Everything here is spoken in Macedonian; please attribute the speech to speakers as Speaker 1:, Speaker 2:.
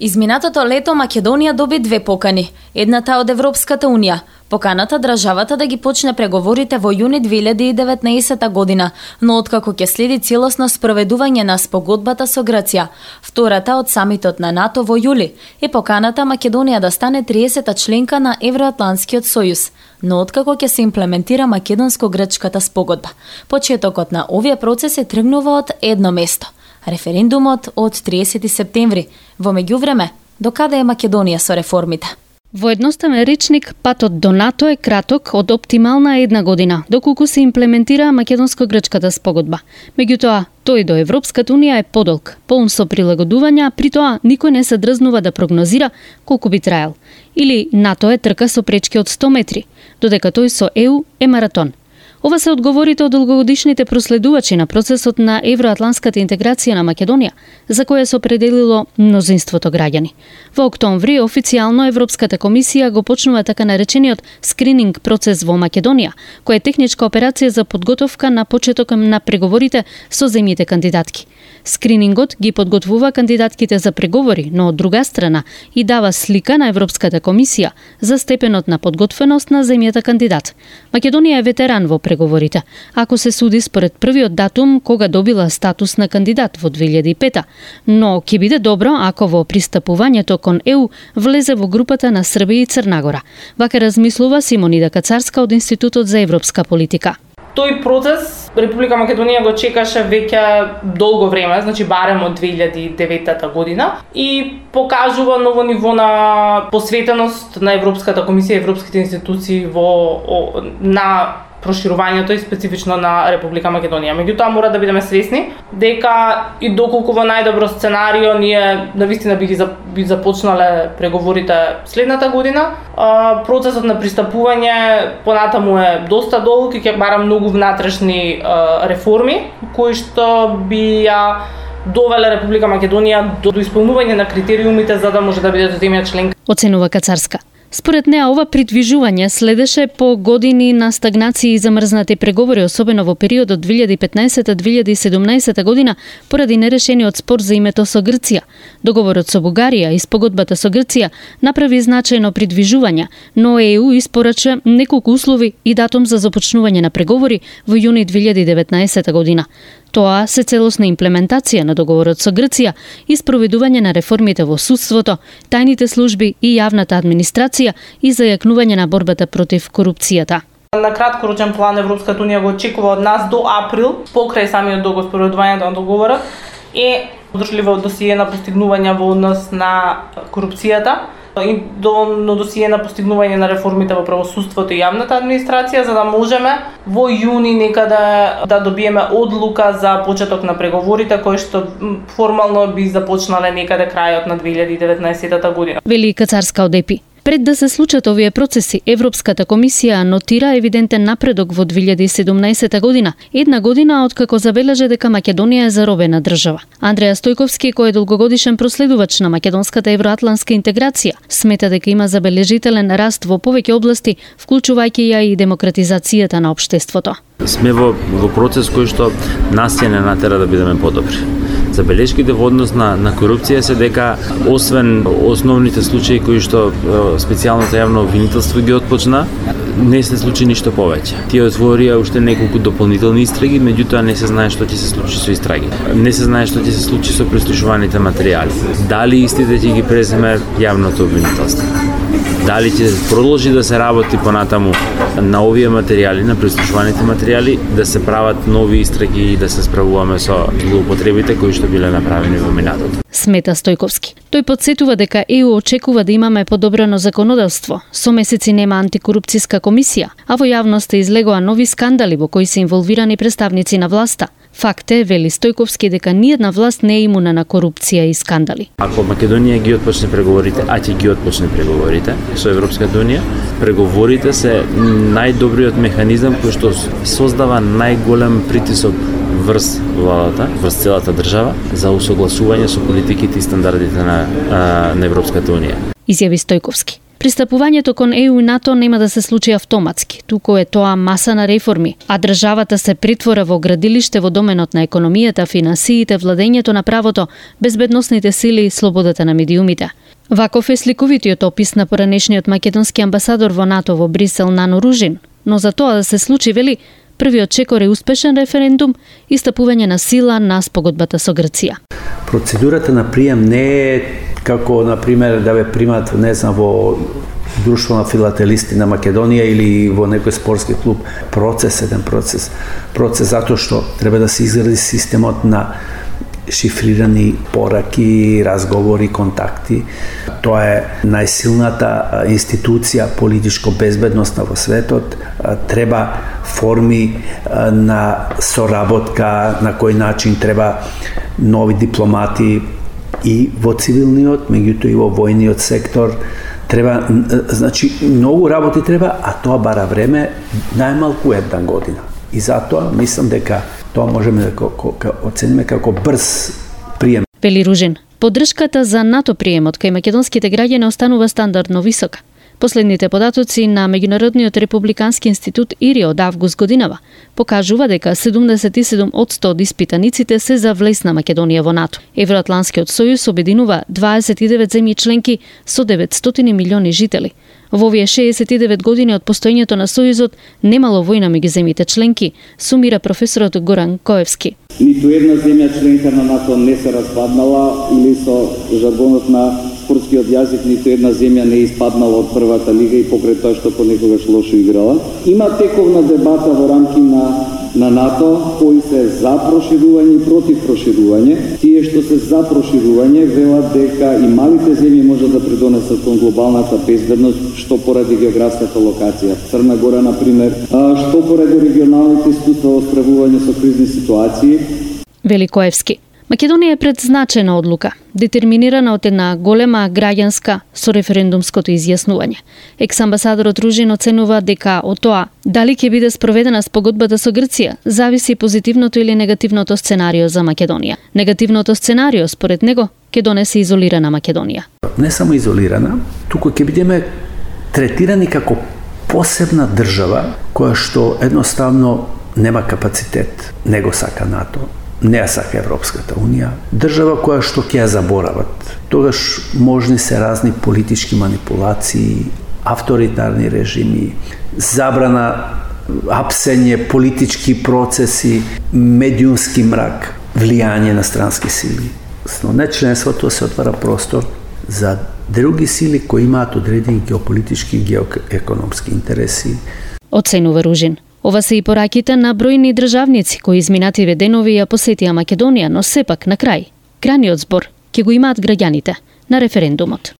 Speaker 1: Изминатото лето Македонија доби две покани. Едната од Европската Унија. Поканата државата да ги почне преговорите во јуни 2019 година, но откако ќе следи целосно спроведување на спогодбата со Грција. Втората од самитот на НАТО во јули е поканата Македонија да стане 30-та членка на Евроатлантскиот сојуз, но откако ќе се имплементира македонско-грчката спогодба. Почетокот на овие процеси тргнува од едно место – референдумот од 30 септември. Во меѓувреме, докаде е Македонија со реформите?
Speaker 2: Во едноставен речник, патот до НАТО е краток од оптимална една година, доколку се имплементира македонско-грчката спогодба. Меѓутоа, тој до Европската Унија е подолг, полн со прилагодувања, при тоа никој не се дрзнува да прогнозира колку би траел. Или НАТО е трка со пречки од 100 метри, додека тој со ЕУ е маратон. Ова се одговорите од долгогодишните проследувачи на процесот на евроатлантската интеграција на Македонија, за која се определило мнозинството граѓани. Во октомври официјално Европската комисија го почнува така наречениот скрининг процес во Македонија, која е техничка операција за подготовка на почеток на преговорите со земјите кандидатки. Скринингот ги подготвува кандидатките за преговори, но од друга страна и дава слика на Европската комисија за степенот на подготвеност на земјата кандидат. Македонија е ветеран во преговорите, ако се суди според првиот датум кога добила статус на кандидат во 2005, но ќе биде добро ако во пристапувањето кон ЕУ влезе во групата на Србија и Црна Гора. Вака размислува Симонида Кацарска од Институтот за европска политика.
Speaker 3: Тој процес Република Македонија го чекаше веќе долго време, значи барем од 2009 година, и покажува ново ниво на посветеност на Европската комисија и европските институции на проширувањето и специфично на Република Македонија. Меѓутоа мора да бидеме свесни дека и доколку во најдобро сценарио ние навистина би започнале преговорите следната година, процесот на пристапување понатаму е доста долг и ќе бара многу внатрешни реформи кои што би ја довеле Република Македонија до исполнување на критериумите за да може да биде земја членка.
Speaker 2: Оценува Кацарска. Според неа, ова придвижување следеше по години на стагнација и замрзнати преговори, особено во периодот 2015-2017 година, поради нерешениот спор за името со Грција. Договорот со Бугарија и спогодбата со Грција направи значајно придвижување, но ЕУ испорача неколку услови и датум за започнување на преговори во јуни 2019 година. Тоа се целосна имплементација на договорот со Грција и спроведување на реформите во судството, тајните служби и јавната администрација и зајакнување на борбата против корупцијата.
Speaker 3: На краткорочен план Европската Унија го очекува од нас до април, покрај самиот договор, спроведувањето на договорот, е одржливо досие на постигнување во однос на корупцијата и доволно досие на постигнување на реформите во правосудството и јавната администрација, за да можеме во јуни некаде да добиеме одлука за почеток на преговорите, кои што формално би започнале некаде крајот на 2019 година.
Speaker 2: Вели Кацарска од ЕПИ. Пред да се случат овие процеси, Европската комисија нотира евидентен напредок во 2017 година, една година откако забележа дека Македонија е заробена држава. Андреа Стојковски, кој е долгогодишен проследувач на македонската евроатлантска интеграција, смета дека има забележителен раст во повеќе области, вклучувајќи ја и демократизацијата на општеството.
Speaker 4: Сме во процес кој што нас ќе не натера да бидеме подобри. Забелешките во однос на корупција се дека, освен основните случаи кои што специјалното јавно обвинителство ги отпочна, не се случи ништо повеќе. Тие отворија уште неколку дополнителни истраги, меѓутоа не се знае што ќе се случи со истраги. Не се знае што ќе се случи со прислушуваните материјали. Дали истите ќе ги преземе јавното обвинителство? Дали ќе продолжи да се работи понатаму на овие материјали, на прислушуваните материјали, да се прават нови истраги и да се справуваме со злоупотребите кои што биле направени во минатото.
Speaker 2: Смета Стојковски. Тој потсетува дека ЕУ очекува да имаме подобрено законодавство. Со месеци нема антикорупцијска комисија, а во јавноста излегоа нови скандали во кои се инволвирани представници на власта. Факт е, вели Стојковски, дека ниедна власт не е имуна на корупција и скандали.
Speaker 4: Ако Македонија ги отпочне преговорите, а ќе ги отпочне преговорите со Европската Унија, преговорите се најдобриот механизам кој што создава најголем притисок врз владата, врз целата држава за усогласување со политиките и стандардите на Европската Унија.
Speaker 2: Изјави Стојковски. Пристапувањето кон ЕУ и НАТО нема да се случи автоматски, туку е тоа маса на реформи, а државата се притвора во градилиште во доменот на економијата, финансиите, владењето на правото, безбедносните сили и слободата на медиумите. Ваков е сликовитиот опис на поранешниот македонски амбасадор во НАТО во Брисел Нано Ружин, но за тоа да се случи, вели, првиот чекор е успешен референдум и стапување на сила на спогодбата со Грција.
Speaker 5: Процедурата на прием не е како, например, да ве примат, не знам, во друштво на филателисти на Македонија или во некој спортски клуб. Еден процес затоа што треба да се изгради системот на шифрирани пораки, разговори, контакти. Тоа е најсилната институција политичко-безбедносна во светот. Треба форми на соработка, на кој начин треба нови дипломати и во цивилниот, меѓутоа и во војниот сектор. Треба, значи, многу работи треба, а тоа бара време, најмалку една година. И затоа мислам дека тоа можеме да оцениме како брз прием.
Speaker 2: Вели Ружин, поддршката за НАТО приемот кај македонските граѓани останува стандардно висока. Последните податоци на Меѓународниот републикански институт ИРИ од август годинава покажува дека 77% од испитаниците се за влез на Македонија во НАТО. Евроатланскиот сојуз обединува 29 земји членки со 900 милиони жители. Во овие 69 години од постоењето на Сојузот немало војна меѓу земјите членки, сумира професорот Горан Коевски.
Speaker 6: Ниту една земја членка на НАТО не се распаднала или со жаргонот на спортскиот јазик, ниту една земја не испаднала од првата лига и покрај тоа што понекогаш лошо играла. Има тековна дебата во рамки на НАТО, кои се за проширување и против проширување. Тие што се за проширување велат дека и малите земји можат да придонесат кон глобалната безбедност, што поради географската локација. Црна Гора, например, што поради регионалните искуства во справување со кризни ситуации.
Speaker 2: Вели Коевски. Македонија е пред значајна одлука, детерминирана од една голема граѓанска со референдумското изјаснување. Екс-амбасадорот Ружин оценува дека од тоа дали ќе биде спроведена спогодбата со Грција зависи позитивното или негативното сценарио за Македонија. Негативното сценарио, според него, ќе донесе изолирана Македонија.
Speaker 5: Не само изолирана, туку ќе бидеме третирани како посебна држава која што едноставно нема капацитет, не го сака НАТО. Не ја сака Европската Унија, држава која што ќе ја заборават. Тогаш можни се разни политички манипулации, авторитарни режими, забрана, апсење, политички процеси, медиумски мрак, влијање на странски сили. Но не членството се отвара простор за други сили кои имаат одредени геополитички и геоекономски интереси.
Speaker 2: Оценува Ружин. Ова се и пораките на бројни државници кои изминативе денови ја посетија Македонија, но сепак на крај, крајниот збор ќе го имаат граѓаните на референдумот.